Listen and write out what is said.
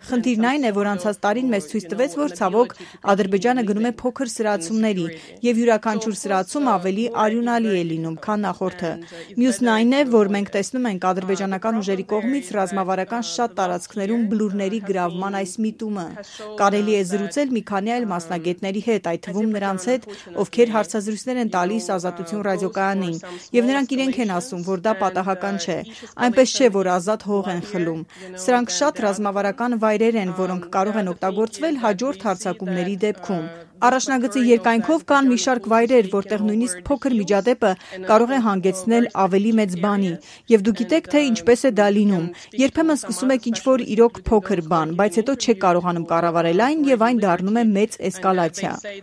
Խնդիրն այն է, որ անցած տարին մեզ ցույց տվեց, որ ցավոք Ադրբեջանը գնում է փոքր սրացումների, եւ յուրաքանչյուր սրացում ավելի արյունալի է լինում, քան նախորդը։ Մյուսն այն է, որ մենք տեսնում ենք ադրբեջանական ուժերի կողմից ռազմավարական շատ տարածքներում բլուրների գրավման այս միտումը։ Կարելի է զրուցել մի քանի այլ մասնագետների հետ, այդ թվում նրանց հետ, ովքեր հարցազրույցներ են տալիս Ազատություն ռադիոկայանին, եւ նրանք իրենք են ասում, որ դա պատահական չէ, այնպես չէ, որ ազատ հող են խլում։ Սրանք շատ ռազմավարական վայրեր են, որոնք կարող են օգտագործվել հաջորդ հարձակումների դեպքում։ Առաջնագծի երկայնքով կան մի շարք վայրեր, որտեղ նույնիսկ փոքր միջադեպը կարող է հանգեցնել ավելի մեծ բանի, եւ դուք գիտեք, թե ինչպես է դա լինում։ Երբեմն սկսում եք ինչ-որ իրոք փոքր բան, բայց հետո չեք կարողանում կառավարել այն, եւ այն դառնում է մեծ էսկալացիա։